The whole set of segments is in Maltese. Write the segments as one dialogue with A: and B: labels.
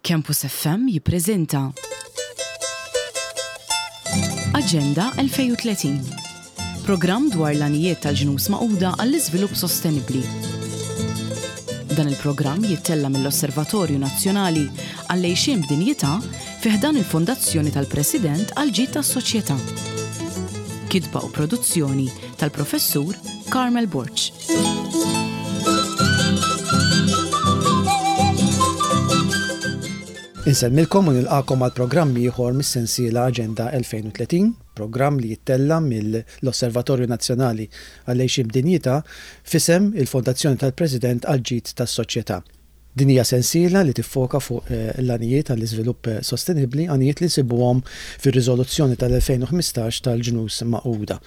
A: Campus FM jippreżenta Aġenda 2030. Programm dwar l-għanijiet tal-Ġnus Magħquda għall-Iżvilupp Sostenibbli. Dan il-programm jittella' mill-Osservatorju Nazzjonali għall-Għixien b'Dinjità fi ħdan il-Fondazzjoni tal-President għall-Ġid tas-Soċjetà. Kitba u produzzjoni tal-Professur Carmel Borg.
B: Insellmilkom u nilqagħkom għal programm ieħor mis-sensiela Aġenda 2030, programm li jittella' mill-Osservatorju Nazzjonali għall-Għixien b'Dinjità f'isem il-Fondazzjoni tal-President għall-Ġid tas-Soċjetà. Din hija sensiela li tiffoka fuq l-għanijiet għall-iżvilupp sostenibbli, għanijiet li nsibuhom fir-Riżoluzzjoni tal-2015 tal-Ġnus Magħquda.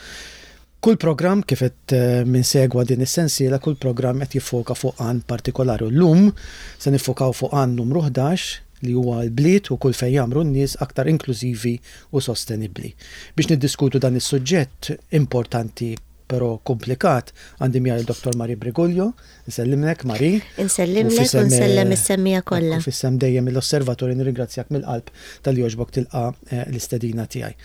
B: Kull programm, kif qed min segwa din is-sensiela, kull programm qed jiffoka fuq għan partikolari u llum se niffokaw fuq għan numru 11 li huwa l-bliet u kull fejn jgħammru n-nies aktar inklużivi u sostenibbli. Biex niddiskutu dan is-suġġett importanti però komplikat għandi miegħi lil Dottor Marie Briguglio. Nsellimlek Marie.
C: Insellimlek u nsellem is-semmiegħa kollha.
B: U f'isem dejjem l-Osservatorju nirringrazzjak mill-qalb talli jogħġbok tilqa' l-istedina tiegħi.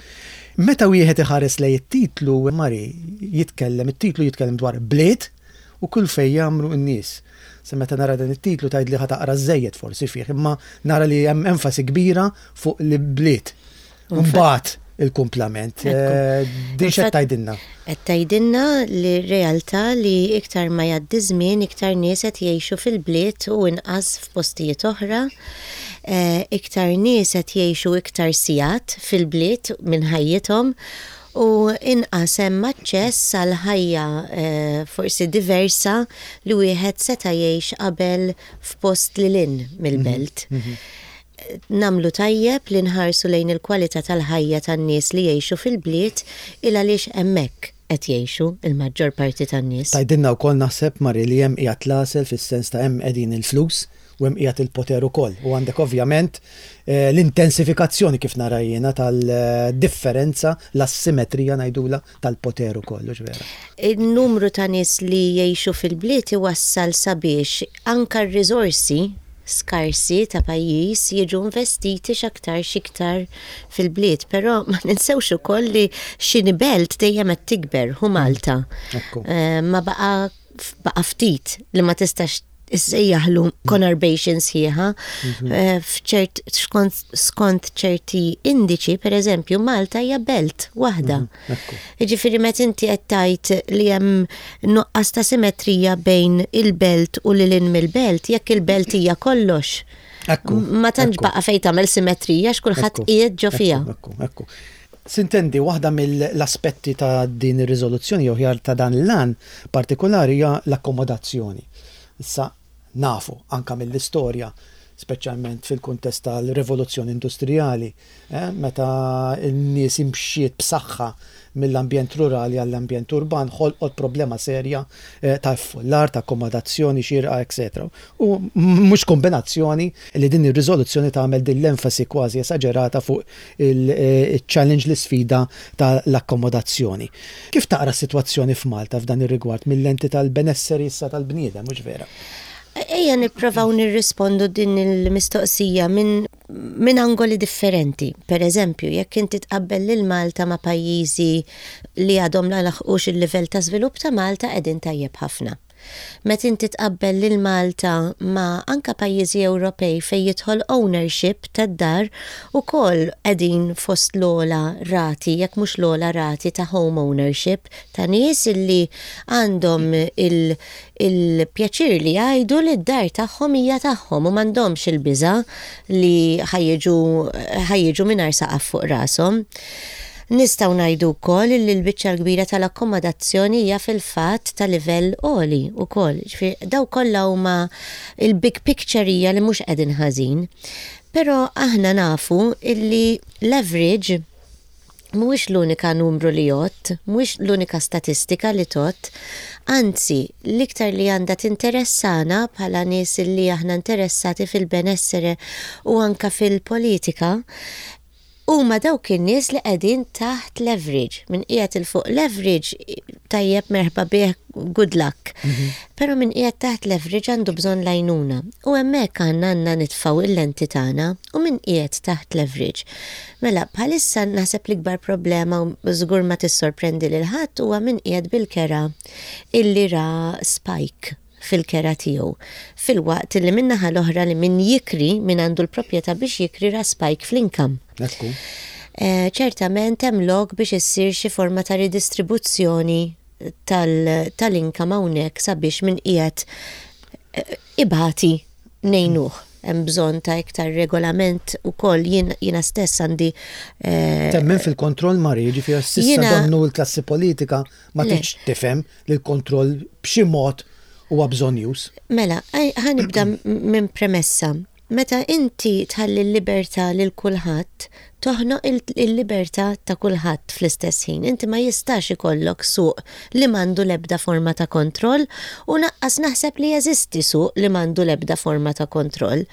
B: Meta wieħed iħares lejn it-titlu, Marie, jitkellem, it-titlu jitkellem dwar bliet u kull fejn jgħammru n-nies. Se meta nara dan it-titlu tgħidli ħa taqra żżejjed forsi fih, imma nara li hemm enfasi kbira fuq l-bliet. Mbagħad il-kumplament. Din x'qed tgħidilna?
C: Qed tgħidilna li r-realtà li iktar ma jgħaddi żmien iktar nies qed jgħixu fil-bliet u inqas f'postijiet oħra. Iktar nies qed jgħixu iktar sigħat fil-bliet minn ħajjithom u inqas hemm aċċess għal ħajja forsi diversa li wieħed seta' jgħix qabel f'post lil hinn mill-belt. Nagħmlu tajjeb li nħarsu lejn il-kwalità tal-ħajja tan-nies li jgħixu fil-bliet il għaliex hemmhekk qed jgħixu l-maġġor parti tan-nies.
B: Tgħidilna wkoll naħseb, Mari, li hemm qiegħed l-għasel fis-sens ta' hemm qegħdin il-flus u hemm qiegħed il-poter ukoll. U għandek ovvjament l-intensifikazzjoni kif nara jiena tal-differenza, l-assimetrija ngħidulha, tal-poter ukoll, hux vera?
C: In-numru ta' nies li jgħixu fil-bliet iwassal sabiex anke r-riżorsi skarsi ta' pajjiż jiġu investiti x'aktarx iktar fil-bliet. Però ma ninsewx ukoll li xini belt dejjem qed tikber, hu Malta. Ma baqa' baqa' ftit li ma tistax issejjaħlu conurbation sħiħa f'ċert skont ċerti indiċi, per eżempju, Malta hija belt waħda. Jiġifieri meta inti qed tgħid li hemm nuqqas ta' simetrija bejn il-belt u lil hinn mill-belt, jekk il-belt hija kollox. Ma tantx baqa' fejn tagħmel simetrija x'kulħadd qiegħed ġo fiha.
B: Ekku, ekku. Sintendi, waħda mill-aspetti ta' din ir-riżoluzzjoni jew aħjar ta' dan l-għan partikolari hija l-akkomodazzjoni. Issa nafu anke mill-istorja, speċjalment fil-kuntest tal-rivoluzzjoni industrijali, meta n-nies imxiet b'saħħa mill-ambjent rurali għall-ambjent urban, ħolqot problema serja ta' iffullar, ta' akkomodazzjoni xierqa, etcetera. U mhux kombinazzjoni li din ir-riżoluzzjoni tagħmel din l-enfasi kważi esaġerata fuq il-challenge, l-isfida tal-akkomodazzjoni. Kif taqra s-sitwazzjoni f'Malta f'dan ir-rigward mil-lenti tal-benesseri issa tal-bniedem, mhux vera?
C: Ejja nipprovaw nirrispondu din il-mistoqsija minn minn angoli differenti. Per eżempju, jekk inti tqabbel lil Malta ma' pajjiżi li għadhom la laħqux il-livell ta' żvilupp ta' Malta qegħdin tajjeb ħafna. Meta inti tqabbel lil Malta ma' anke pajjiżi Ewropej fejn jidħol ownership tad-dar ukoll qegħdin fost l-ogħla rati jekk mhux l-ogħla rati ta' home ownership ta' nies illi għandhom il-pjaċir li jgħidu li d-dar tagħhom hija tagħhom u m'għandhomx il-biża' li ħa jiġu ħa jiġu mingħajr saqaf fuq rashom. Nistgħu ngħidu wkoll illi l-biċċa l-kbira tal-akkomodazzjoni hija fil-fatt ta' livell għoli wkoll. Jiġifieri dawn kollha huma il-big picture hija li mhux qegħdin ħażin. Però aħna nafu illi l-average mhuwiex l-unika numru li jgħodd, mhuwiex l-unika statistika li tgħodd. Anzi, l-iktar li għandha tinteressana bħala nies illi aħna interessati fil-benessere u anke fil-politika, Huma dawk in-nies li qegħdin taħt leverage. Min qiegħed 'il fuq leverage tajjeb merħba bih good luck. Però min qiegħed taħt leverage għandu bżonn l-għajnuna. U hemmhekk għandna għandna nitfgħu il-lenti tagħna u min qiegħed taħt leverage. Mela, bħalissa naħseb l-ikbar problema u żgur ma tissorprendi lil ħadd huwa min qiegħed bil-kera illi ra spike fil-kera tiegħu. Filwaqt li min-naħa l-oħra li min jikri, min għandu l-proprjetà biex jikri ra spike fl-income.
B: Ekku.
C: Ċertament hemm lok biex issir xi forma ta' ridistribuzzjoni tal-income hawnhekk sabiex min qiegħed ibati ngħinuh. Hemm bżonn ta' iktar regolament ukoll jiena stess għandi.
B: Temmen fil-kontroll Mari, jiġifieri s'issa donnu l-klassi politika ma tridx tifhem li l-kontroll b'xi mod huwa bżonnjuż.
C: Mela, ħa nibda minn premessa. Meta inti tħalli l-libertà lil kulħadd, toħnoq il-libertà ta' kulħadd fl-istess ħin. Inti ma jistax ikollok suq li m'għandu l-ebda forma ta' kontroll u naqqas naħseb li jeżisti suq li m'għandu l-ebda forma ta' kontroll.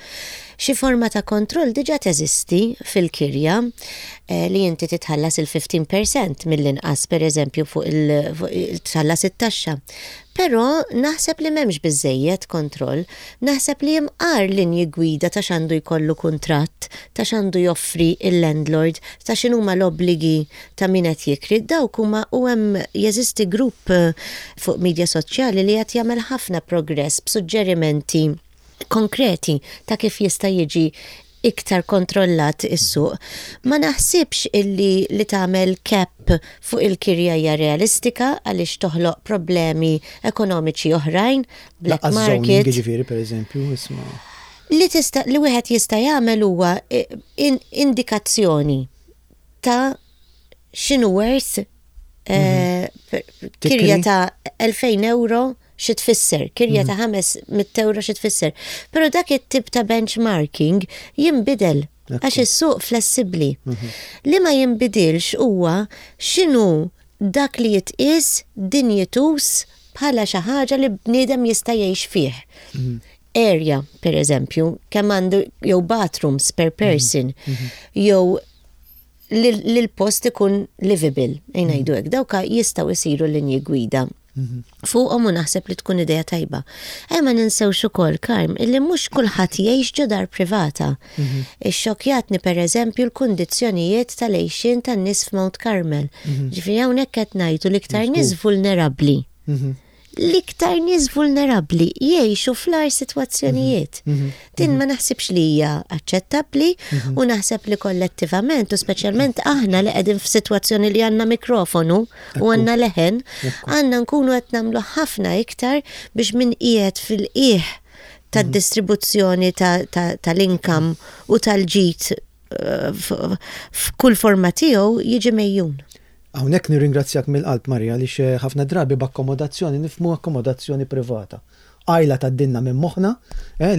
C: Xi forma ta' kontroll diġà teżisti fil-kirja li inti titħallas il-15 percent mill-inqas pereżempju fuq il tħallas it-taxxa. Però naħseb li m'hemmx biżżejjed kontroll. Naħseb li imqar linji gwida ta' x'għandu jkollu kuntratt, ta' x'għandu joffri l-landlord, ta' x'inhuma l-obbligi ta' min qed jikri, dawk huma u hemm jeżisti grupp fuq media soċjali li qed jagħmel ħafna progress b'suġġerimenti konkreti ta' kif jista' jiġi iktar kontrollat is-suq. Ma naħsibx illi li tagħmel cap fuq il-kirja hija realistika għaliex toħloq problemi ekonomiċi oħrajn, black
B: Lanqas zoning
C: market.
B: jiġifieri pereżempju, isma'.
C: Li tista' li wieħed jista' jagħmel huwa indikazzjoni ta' x'inhu worth kirja ta' 2000 euro xi tfisser, kirja ta' 500 euro xi tfisser. Però dak it-tip ta' benchmarking jinbidel għax is-suq flessibbli. Li ma jinbidilx huwa x'inhu dak li jitqies dinjituż bħala xi ħaġa li bniedem jista' jgħix fih. Area, per eżempju, kemm għandu jew bathrooms per person, jew li l-post ikun livable, ngħidu hekk, dawka jistgħu jsiru linji gwida fuqhom u naħseb li tkun idea tajba. Ejja ma ninsewx ukoll, Karm, illi mhux kulħadd jgħix ġo dar privata. Ixxokkjatni pereżempju l-kundizzjonijiet tal-għixien tan-nies f'Mount Carmel. Ġifieri hawnhekk qed ngħidu l-iktar nies vulnerabbli. L-iktar nies vulnerabbli jgħixu fl-agħar sitwazzjonijiet. Din ma naħsibx li hija aċċettabbli u naħseb li kollettivament u speċjalment aħna li qegħdin f'sitwazzjoni li għandna mikrofonu u għandna leħen, għandna nkunu qed nagħmlu ħafna iktar biex min qiegħed fil-qiegħ tad-distribuzzjoni tal-income u tal-ġid f'kull forma tiegħu jiġi mgħejjun.
B: Hawnhekk nirringrazzjak mill-qalb Maria għaliex ħafna drabi b'akkomodazzjoni nifhmu akkomodazzjoni privata. Qajla tgħaddilna minn moħħna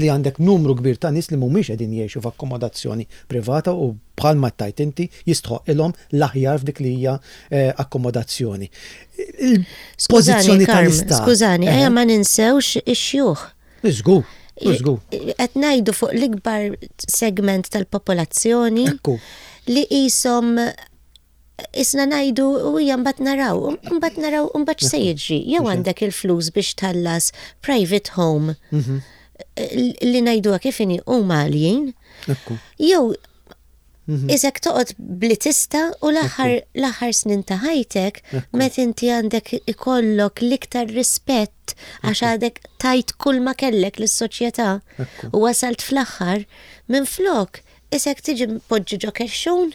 B: li għandek numru kbir ta' nies li mhumiex qegħdin jgħixu f'akkomodazzjoni privata u bħalma tgħid inti jistħoqqilhom l-aħjar f'dik li hija akkomodazzjoni. Il-pożizzjoni tal-Istat.
C: Skużani, ejja ma ninsewx ix-xjuħ.
B: Żgur, żgur.
C: Qed ngħidu fuq l-ikbar segment tal-popolazzjoni li qishom Isna ngħidu u hija mbagħad naraw, mbagħad naraw u mbagħad x'se jiġri. Jew għandek il-flus biex tħallas private home mhm. li ngħiduha kif inhi huma għaljin. Jew mhm. Isek toqgħod bli tista' u l-aħħar snin ta' ħajtek meta inti għandek ikollok l-iktar rispett għax għadek tajt kull ma kellek lis-soċjetà u wasalt fl-aħħar minflok isek tiġi mpoġġi ġo kexxun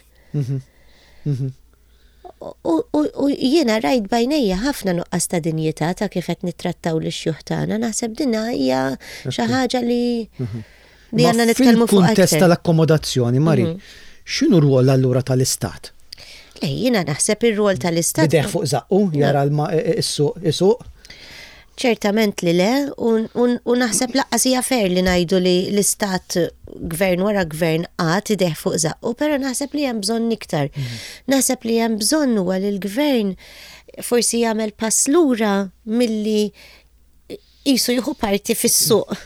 C: U jiena rajt bajnejja ħafna nuqqas ta' dinjità ta' kif qed nittrattaw lix-xjuħ tagħna, naħseb din hija xi ħaġa li li għandna nitkellmu fuq.
B: Fil-kuntest tal-akkomodazzjoni, Mari, x'inhu r-rwol allura tal-Istat?
C: Le, jiena naħseb ir-rwol tal-Istat.
B: Bideh fuq żaqqu, jara l-suq isuq?
C: Ċertament li le, u naħseb laqqas hija fair li ngħidu li l-istat gvern wara gvern qagħad idejh fuq żaqqu, però naħseb li hemm bżonn iktar. Mhm. Naħseb li hemm bżonn huwa li l-gvern forsi jagħmel pass lura milli qisu jieħu parti fis-suq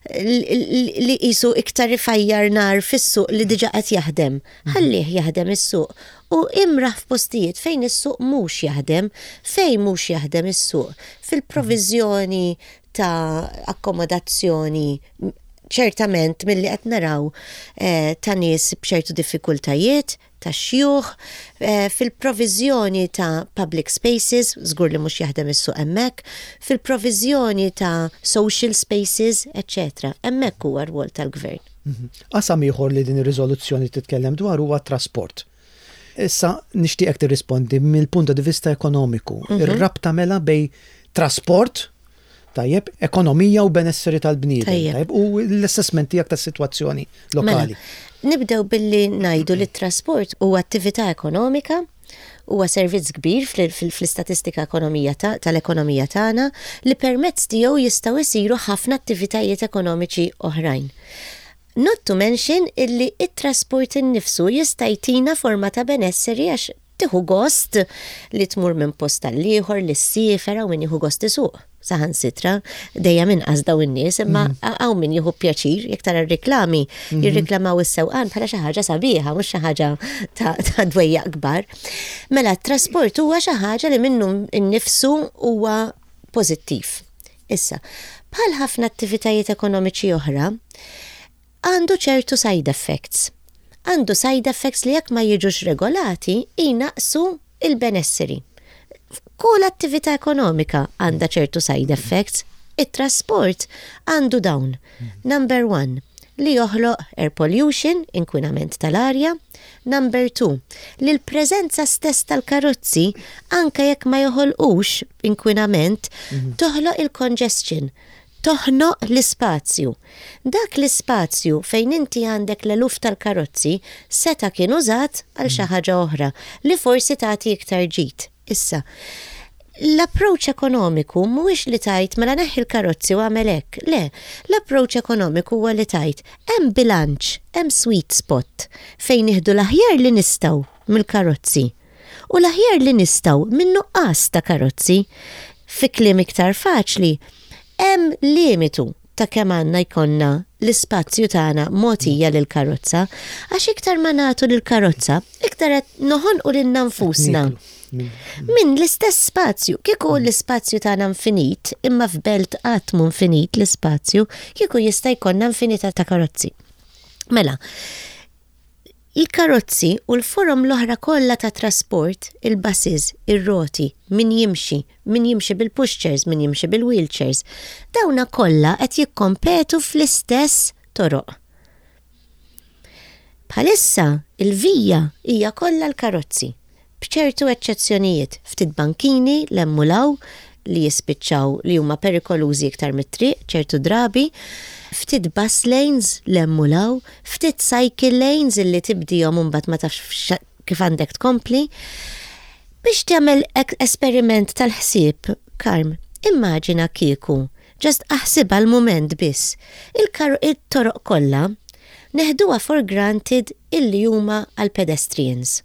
C: li qisu iktar ifajjar nar fis-suq li diġà qed jaħdem. Ħallih jaħdem is-suq u imraħ f'postijiet fejn is-suq mhux jaħdem, fejn mhux jaħdem is-suq, fil-proviżjoni ta' akkomodazzjoni ċertament milli qed naraw eh, ta' nies b'ċertu diffikultajiet, ta' xjuħ, eh, fil-proviżjoni ta' public spaces, żgur li mhux jaħdem is-suq hemmhekk, fil-proviżjoni ta' social spaces, eċċetera. Hemmhekk huwa r-rwol tal-gvern.
B: Mhm. Qasam ieħor li din ir-riżoluzzjoni titkellem dwar huwa t-trasport. Issa nixtieqek tirrispondi mill-punt di vista ekonomiku. Ir-rabta mela bejn trasport, tajjeb, ekonomija u benesseri tal-bniedem, tajjeb, u l-assessment tiegħek tas-sitwazzjoni lokali.
C: Mela, nibdew billi ngħidu li t-trasport huwa attività ekonomika, huwa servizz kbir fl-istatistika ekonomija tal-ekonomija tagħna li permezz tiegħu jistgħu jsiru ħafna attivitajiet ekonomiċi oħrajn. Not to mention illi it-trasport innifsu jista' jtina forma ta' benesseri għax tieħu gost li tmur minn post għal ieħor, li ssiefer hawn min jieħu gost isuq. Saħansitra, dejjem inqas daw in-nies, imma hawn min jieħu pjaċir jekk tara r-riklami, jirriklamaw is-sewqan bħala xi ħaġa sabiħa, mhux xi ħaġa ta' dwejjaq kbar. Mela t-trasport huwa xi ħaġa li minnu nnifsu huwa pożittiv. Issa, bħal ħafna attivitajiet ekonomiċi oħra, għandu ċertu side effects. Għandu side effects li jekk ma jiġux regolati, jnaqqsu il-benesseri. Kull attività ekonomika għandha ċertu side effects. It-trasport għandu dawn. Number one, li joħloq air pollution, inkwinament tal-arja. Number two, li l-preżenza stess tal-karozzi, anke jekk ma joħolqux inkwinament, toħloq il-congestion, toħnoq l-ispazju. Dak l-ispazju fejn inti għandek l-eluf tal-karozzi seta' kien użat għal xi ħaġa oħra li forsi tagħti iktar ġid. Issa, l-approach ekonomiku mhuwiex li tgħid mela neħħi l-karozzi u għamel hekk. Le, l-approach ekonomiku huwa li tgħid hemm bilanċ, hemm sweet spot fejn nieħdu l-aħjar li nistgħu mill-karozzi u l-aħjar li nistgħu minn nuqqas ta' karozzi. Fi kliem iktar faċli, hemm limitu ta' kemm għandna jkollna l-ispazju tagħna mogħtija lil karozza, għax iktar ma nagħtu lil karozza, iktar qed noħonqu lilna nfusna. Minn l-istess spazju, kieku l-ispazju tagħna infinit, imma f'belt qatt mhu infinit l-ispazju, kieku jista' jkollna infinità ta' karozzi. Mela, il-karozzi u l-forom l-oħra kollha ta' trasport, il-buses, ir-roti, min jimxi, min jimxi bil-pushchairs, min jimxi bil-wheelchairs, dawna kollha qed jikkompetu fl-istess toroq. Bħalissa il-vija hija kollha l-karozzi, b'ċertu eċċezzjonijiet, ftit bankini 'l hemm u 'l hawn li jispiċċaw li huma perikolużi iktar mit-triq ċertu drabi, ftit bus lanes 'l hemm u 'l hawn, ftit cycle lanes illi tibdihom u mbagħad ma tafx kif għandek tkompli. Biex tagħmel esperiment tal-ħsieb, Karm, immaġina kieku, just aħsibha l-mument biss, il-toroq kollha neħduha for granted illi huma għal pedestrians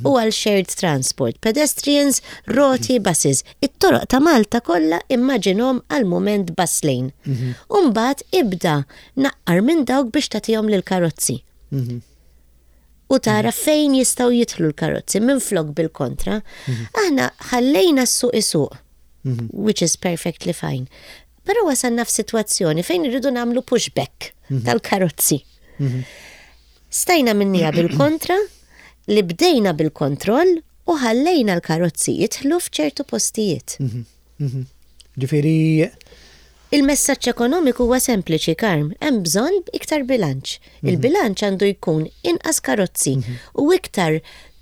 C: u għal shared transport, pedestrians, roti, buses. It-toroq ta' Malta kollha immaġinhom għal mument bus lane. U mbagħad ibda naqqar minn dawk biex tagħtihom lil karozzi. U tara fejn jistgħu jidħlu l-karozzi minn flok bil-kontra. Aħna ħallejna s-suq isuq, which is perfectly fine. Però wasalna f'sitwazzjoni fejn irridu nagħmlu pushback tal-karozzi. Stajna minnija bil-kontra, li bdejna bil-kontroll u ħallejna l-karozzi jidħlu f'ċertu postijiet.
B: Ġifieri
C: Il-messaġġ ekonomiku huwa sempliċi, Karm, hemm bżonn iktar bilanċ. Il-bilanċ għandu jkun inqas karozzi u iktar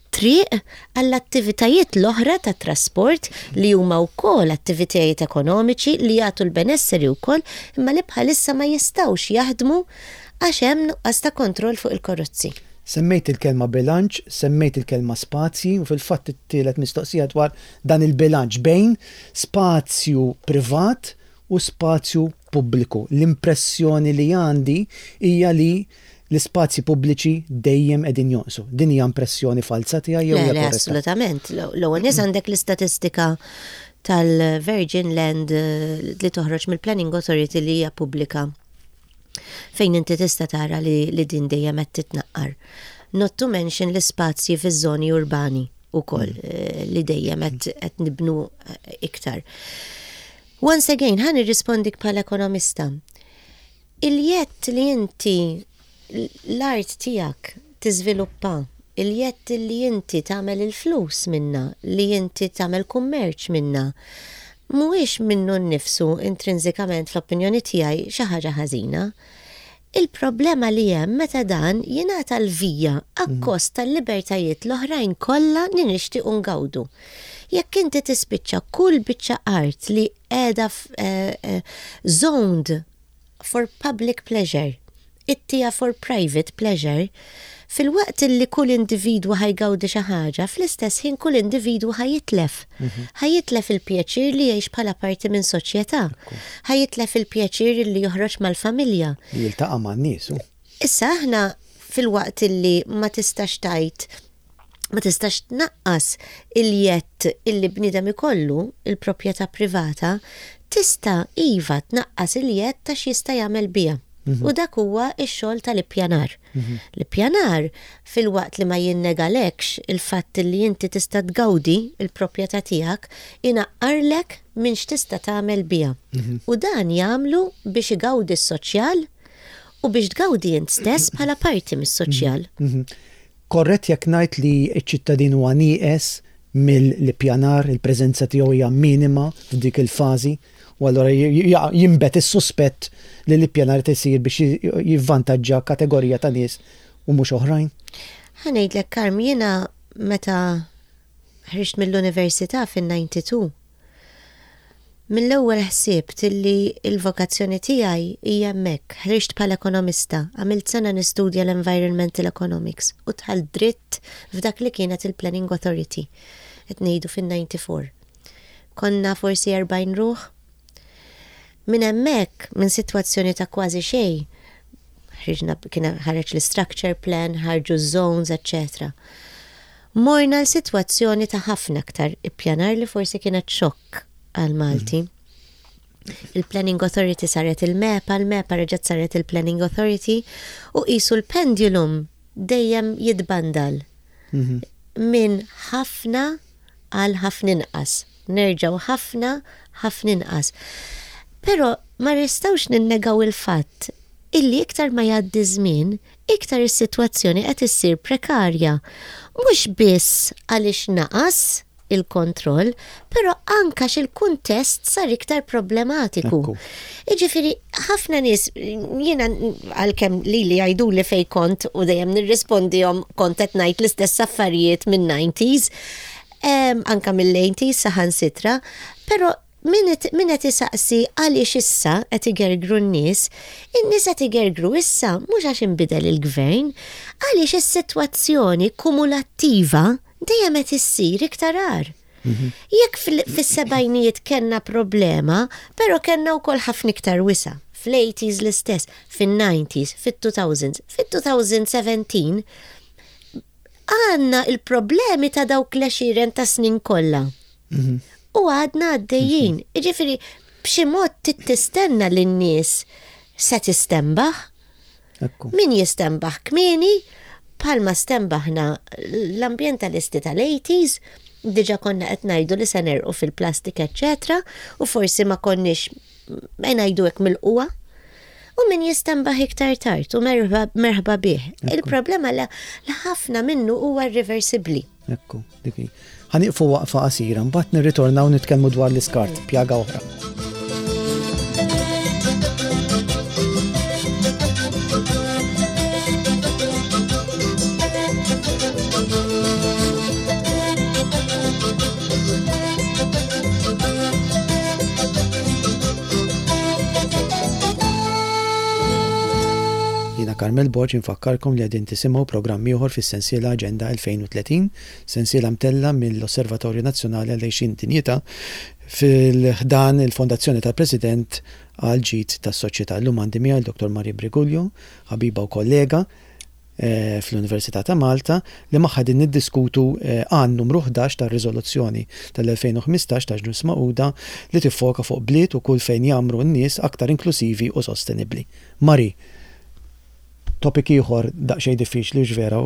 C: triq għall-attivitajiet l-oħra ta' trasport li huma wkoll attivitajiet ekonomiċi li jagħtu l-benesseri wkoll imma li bħalissa ma jistgħux jaħdmu għax hemm nuqqas ta' kontroll fuq il-karozzi.
B: Semmejt il-kelma bilanċ, semmejt il-kelma spazji u fil-fatt it-tielet mistoqsija dwar dan il-bilanċ bejn spazju privat u spazju pubbliku. L-impressjoni li għandi hija li L-ispazji pubbliċi dejjem qegħdin jonqsu. Din hija impressjoni falza tiegħi jew hija
C: Le, assolutament. L-ewwel nies għandek l-istatistika tal-Virgin Land eh, li toħroġ mill-Planning Authority li hija pubblika fejn inti tista' tara li, li din dejjem qed titnaqqar. Not to mention l-ispazji fiż-żoni urbani ukoll mm. eh, li dejjem qed nibnu eh, iktar. Once again, ħa nirrispondik bħala ekonomista. Il-jedd li inti l-art tiegħek tiżviluppa, il-jedd li inti tagħmel il-flus minnha, li inti tagħmel kummerċ minnha, mhuwiex minnu nnifsu intrinsikament fl-opinjoni tiegħi xi ħaġa ħażina. Il-problema li hemm meta dan jingħata l-vija akkost tal-libertajiet l-oħrajn kollha li nixtiequ ngawdu. Jekk inti tispiċċa kull biċċa art li qiegħda zoned for public pleasure, ittiha for private pleasure, filwaqt illi kull individwu ħa jgawdi xi ħaġa, fl-istess ħin kull individwu ħa jitlef. Ħa jitlef il-pjaċir li jgħix bħala parti minn soċjetà. Ħa jitlef il-pjaċir li joħroġ mal-familja.
B: Li jiltaqa' man-nies.
C: Issa aħna filwaqt illi ma tistax tgħid ma tistax tnaqqas il-jedd illi bniedem ikollu, il-proprjetà privata, tista' iva tnaqqas il-jedd ta' x'jista' jagħmel biha. Mhm. U dak huwa x-xogħol tal-ippjanar. Mhm. L-ippjanar filwaqt li ma jinnegalekx il-fatt li inti tista' tgawdi il-proprjetà tiegħek, inaqqarlek minn x'tista' tagħmel biha. Mhm. U dan jagħmlu biex igawdi s-soċjal u biex tgawdi int stess bħala parti mis-soċjal.
B: Korrett jekk ngħid li ċ-ċittadin huwa nieqes mill-ippjanar, il-preżenza tiegħu hija minima f'dik il-fażi u allura jinbet is-suspett li l-ippjanar qed isir biex jivvantaġġa kategorija ta' nies u mhux oħrajn?
C: Ħa ngħidlek Karm, jiena meta ħriġt mill-università fin-92, Mill-ewwel ħsibt illi l-vokazzjoni tiegħi hija hemmhekk. Ħriġt bħala ekonomista, għamilt sena nistudja l-Environmental Economics u dħalt dritt f'dak li kienet il-Planning Authority. Qed ngħidu fin-94. Konna forsi 40 ruħ. Minn hemmhekk, minn sitwazzjoni ta' kważi xejn, ħriġna kien ħareġ l-istructure plan, ħarġu ż-zones, eċċetera. Morna għal sitwazzjoni ta' ħafna aktar ippjanar li forsi kienet xokk għal Malti. Il-Planning Authority saret il-MEPA, il-MEPA reġgħet saret il-Planning Authority u qisu l-pendulum dejjem jitbandal mhm. minn ħafna għal ħafna inqas. Nerġgħu ħafna, ħafna inqas. Però ma nistgħux ninnegaw il-fatt illi iktar ma jgħaddi żmien, iktar is-sitwazzjoni qed issir prekarja, mhux biss għaliex naqas il-kontroll, però anke għax il-kuntest sar iktar problematiku. Jiġifieri ħafna nies jiena għalkemm lili jgħiduli fejn kont u dejjem nirrispondihom kont qed ngħid l-istess affarijiet min-90s, anke mill-80s saħansitra, però Min qed isaqsi għaliex issa qed igergru n-nies, in-nies qed igergru issa mhux għax inbidel il-gvern, għaliex is-sitwazzjoni kumulattiva dejjem qed issir iktar agħar. Mhm. Jekk fis-sebgħinijiet kellna problema, però kellna wkoll ħafna iktar wisa'. Fl-80s l-istess, fin-90s, fit-2000s, fit-2017 għandna il-problemi ta' dawk l-għexieren ta' snin kollha. Mhm. U għadna għaddejjin. Mhm. Jiġifieri b'xi mod tistenna li n-nies se tistembaħ. Min jistenbaħ kmieni, bħalma stenbaħna l-ambjentalisti tal-80s, diġa konna qed ngħidu li se nerqu fil-plastik, eċċetera, u forsi ma konniex ma ngħidu hekk mill-qwa. U min jistenbaħ iktar tard u merħba bih. Il-problema li ħafna minnu huwa irreversibbli.
B: Ekku, dik hi. Ħa nieqfu waqfa qasira, mbagħad nirritornaw nitkellmu dwar l-iskart, pjaga oħra. Jiena Carmel Borg infakkarkom li qegħdin tisimgħu programm ieħor fis-sensiela Aġenda 2030, sensiela mtellgħa mill-Osservatorju Nazzjonali għall-Għixien Dinjità fil-ħdan il-Fondazzjoni tal-President għall-Ġid tas-Soċjetà. Illum għandi miegħi l-Dottor Marie Briguglio, ħabiba u kollega fl-Università ta' Malta, li magħha qegħdin niddiskutu għan numru 11 tar-riżoluzzjoni tal-2015 ta' Ġnus Magħquda li tiffoka fuq bliet u kull fejn jgħammru n-nies aktar inklusivi u sostenibbli. Marie, topic ieħor daqsxejn diffiċli hux vera,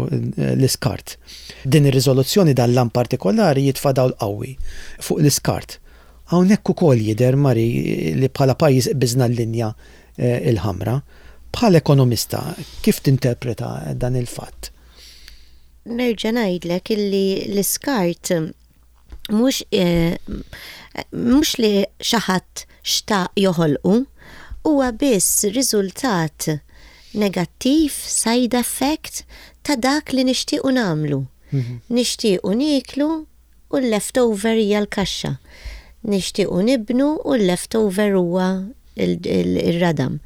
B: l-iskart. Din ir-riżoluzzjoni dan l-għan partikolari jitfa' dawl qawwi fuq l-iskart. Hawnhekk ukoll jidher, Marie, li bħala pajjiż qbiżna l-linja l-ħamra. Bħala ekonomista, kif tinterpreta dan il-fatt?
C: Nerġa' ngħidlek illi l-iskart mhux mhux li xi ħadd xtaq joħolqu, huwa biss riżultat negattiv, side effect, ta' dak li nixtiequ nagħmlu. Nixtiequ nieklu u l-leftover hija l-kaxxa. Nixtiequ nibnu u l-leftover huwa ir-radam.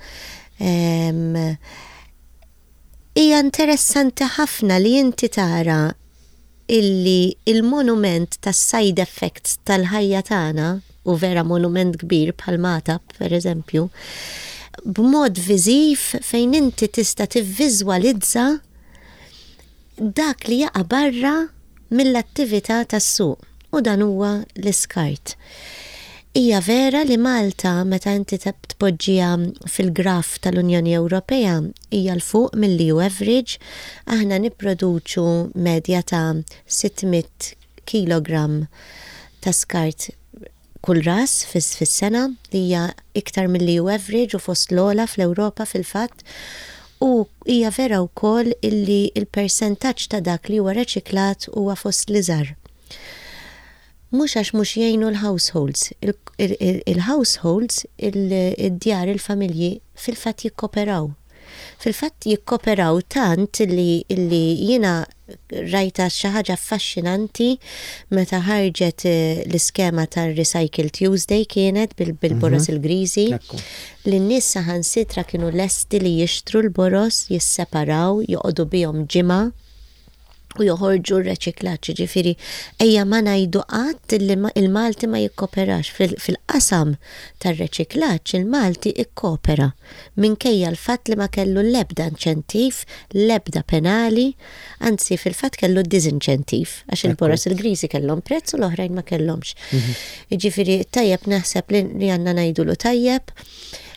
C: Hija interessanti ħafna li inti tara illi il-monument tas-side effects tal-ħajja tagħna, u vera monument kbir bħal Magħtab, per eżempju, b'mod viżiv fejn inti tista' tivviżwalizza dak li jaqa' barra mill-attività tas-suq u dan huwa l-iskart. Hija vera li Malta meta inti tpoġġiha fil-graf tal-Unjoni Ewropea hija 'l fuq mill-EU average, aħna nipproduċu medja ta' 600 kilogramm ta' skart kull ras fis-sena, li hija iktar mill-EU average u fost l-ogħla fl-Ewropa fil-fatt, u hija vera wkoll illi l-persentaġġ ta' dak li huwa reċiklat huwa fost l-iżgħar. Mhux għax mhux jgħinu l-households, il-households, id-djar, il-familji fil-fatt jikkoperaw. Fil-fatt jikkoperaw tant li li jiena rajtha xi ħaġa affaxxinanti meta ħarġet l-iskema tar-Recycle Tuesday kienet bil-boroż il-griżi li n-nies saħansitra kienu lesti li jixtru l-boroż, jisseparaw, joqogħdu bihom ġimgħa u joħorġu r-reċiklaġġ, jiġifieri ejja ma ngħidu qatt li il-Malti ma jikkoperax. Fil-qasam tar-reċiklaġġ il-Malti ikkopera minkejja l-fatt li ma kellu l-ebda inċentiv, l-ebda penali, anzi fil-fatt kellu diżinċentiv għax il-boroż il-griżi kellhom prezz u l-oħrajn ma kellhomx. Jiġifieri tajjeb naħseb li għandna ngħidulu tajjeb,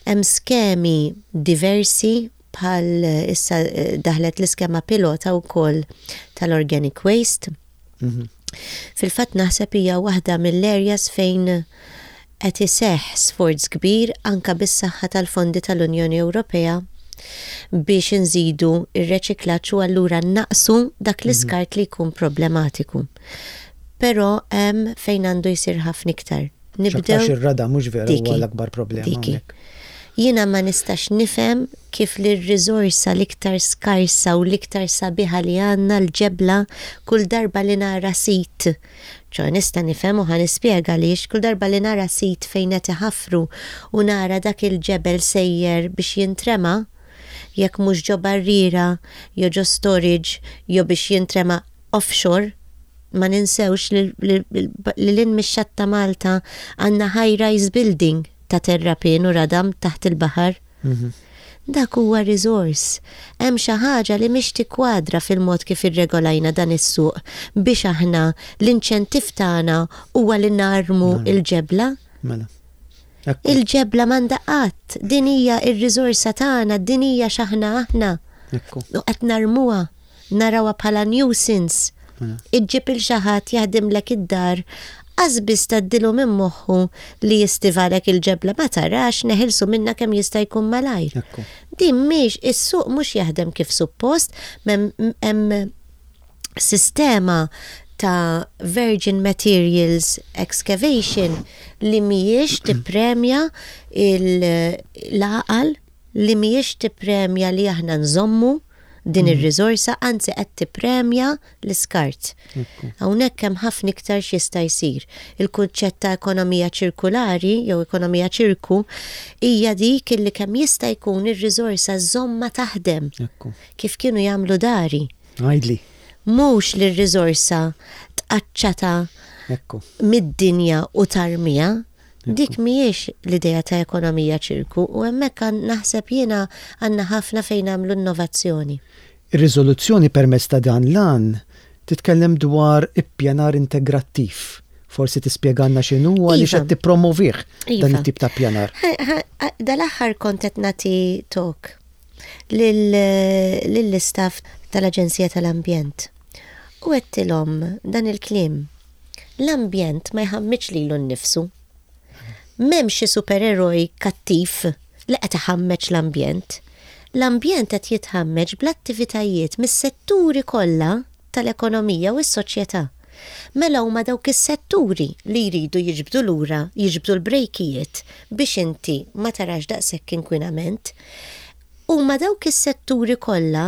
C: hemm skemi diversi bħal issa daħlet l-iskema pilota wkoll tal-organic waste. Fil-fatt naħseb hija waħda mill-areas fejn qed iseħħ sforz kbir anka bis-saħħa tal-fondi tal-Unjoni Ewropea biex inżidu r-reċiklaġġ u allura nnaqqsu dak l-iskart li jkun problematiku. Però hemm fejn għandu jsir ħafna iktar.
B: Nibdew. X'aktarx ir-rada mhux vera huwa l-akbar problema hawnhekk.
C: Jiena ma nistax nifhem kif li r-riżorsa l-iktar skarsa u l-iktar sabiħa li għandna, l-ġebla, kull darba li nara sit, ċoe nista' nifhem u ħa nispjega għaliex, kull darba li nara sit fejn qed iħaffru u nara dak il-ġebel sejjer biex jintrema, jekk mhux ġo barriera, jew ġo storage, jew biex jintrema offshore, ma ninsewx li lil hinn mix-xatt ta' Malta għandna high rise building ta' terrapien u radam taħt il-baħar. Dak huwa riżors. Hemm xi ħaġa li mhix tikkwadra fil-mod kif irregolajna dan is-suq biex aħna l-inċentiv tagħna huwa li narmu l-ġebla.
B: Mela.
C: Il-ġebla m'għandha qatt. Din hija r-riżorsa tagħna, din hija x'aħna aħna. U qed narmuha. Narawha bħala nuisance. Iġġib 'il xi ħadd jaħdimlek id-dar, qas biss tgħaddilu minn moħħu li jistivalek il-ġebla ma tarax neħilsu minnha kemm jista' jkun malajr. Din mhix, is-suq mhux jaħdem kif suppost, hemm sistema ta' virgin materials excavation li mhijiex tippremja l-għaqal, li mhijiex tippremja li aħna nżommu. din ir-riżorsa, anzi qed tippremja l-iskart. Hawnhekk hemm ħafna iktar x'jista' jsir. Il-kunċett ta' ekonomija ċirkulari jew ekonomija ċirku hija dik illi kemm jista' jkun ir-riżorsa żżommha taħdem. Kif kienu jagħmlu dari.
B: Għidli.
C: Mhux li r-riżorsa tqaċċatha mid-dinja u tarmiha. Dik mhijiex l-idea ta' ekonomija ċirku u hemmhekk naħseb jiena għandna ħafna fejn nagħmlu innovazzjoni.
B: Ir-riżoluzzjoni permezz ta' dan l-għan titkellem dwar ippjanar integrattiv. Forsi tispjegalna x'inhu u għaliex qed tippromovih dan it-tip ta' ppjanar.
C: Dal-aħħar kont qed nagħti talk lill-istaff tal-Aġenzija tal-Ambjent u għedtilhom dan il-kliem. L-ambjent ma jħammiġx lilu nnifsu. M'hemmx xi supereroj kattiv li qed iħammeġ l-ambjent. L-ambjent qed jitħammeġ bl-attivitajiet mis-setturi kollha tal-ekonomija u s-soċjetà. Mela huma dawk is-setturi li jridu jiġbdu lura, jiġbdu l-brejkijiet biex inti ma tarax daqshekk inkwinament. Huma dawk is-setturi kollha,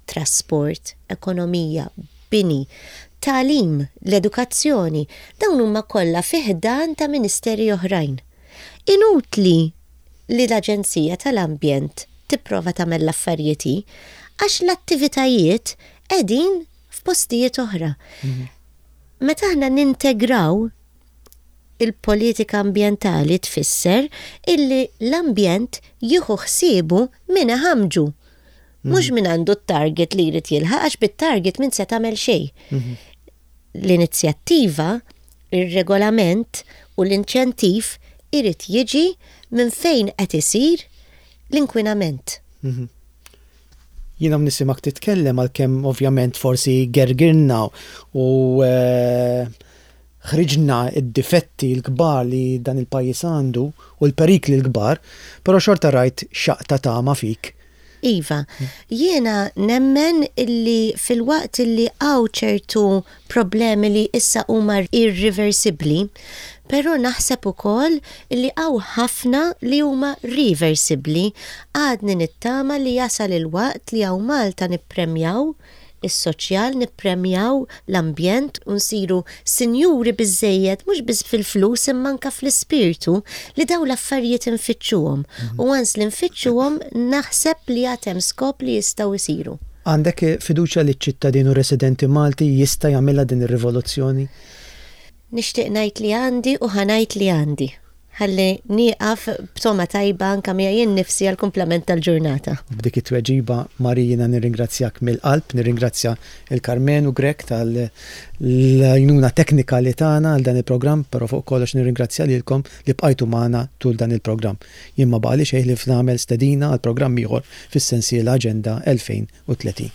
C: trasport, ekonomija, bini, tagħlim, l-edukazzjoni, dawn huma kollha fi ħdan ta' ministeri oħrajn. Inutli li l-Aġenzija tal-Ambjent tipprova tagħmel l-affarijiet hi, għax l-attivitajiet qegħdin f'postijiet oħra. Meta aħna nintegraw il-politika ambjentali tfisser illi l-ambjent jieħu ħsiebu min iħammġu. Mhux min għandu t-target li jrid jilħaq għax bit-target min se tagħmel xejn. L-inizjattiva, ir-regolament u l-inċentiv irid jiġi minn fejn qed isir l-inkwinament.
B: Jiena nisimgħek titkellem għalkemm ovvjament forsi gergirna u ħriġna d-difetti l-kbar li dan il-pajjiż għandu u l-perikli l-kbar, però xorta rajt xaqq ta' tama fik.
C: Iva, jiena nemmen illi filwaqt illi hawn ċertu problemi li issa huma irriversibbli, però naħseb ukoll illi hawn ħafna li huma riversibbli. Għadni nittama li jasal il-waqt li hawn Malta nippremjaw is-soċjal, nippremjaw l-ambjent u nsiru sinjuri biżżejjed mhux biss fil-flus imma anke fl-ispirtu li dawn l-affarijiet infittxuhom. U once li nfittxuhom naħseb li għad hemm skop li jistgħu jsiru.
B: Għandek fiduċja li ċ-ċittadin u residenti Malti jista' jagħmilha din ir-rivoluzzjoni?
C: Nixtieq ngħid li għandi u ħa ngħid li għandi. Ħalli nieqaf b'togħma tajba anke miegħi nnifsi għall-kumplament tal-ġurnata.
B: U b'dik it-tweġiba, Marie, jiena nirringrazzjak mill-qalb, nirringrazzja 'l Karmenu Grech tal-għajnuna teknika li tana għal dan il-programm, però fuq kollox nirringrazzja lilkom li bqajtu magħna tul dan il-programm. Jien ma baqagħli xejn ħlief nagħmel stedina għal programm ieħor fis-sensiela Aġenda 2030.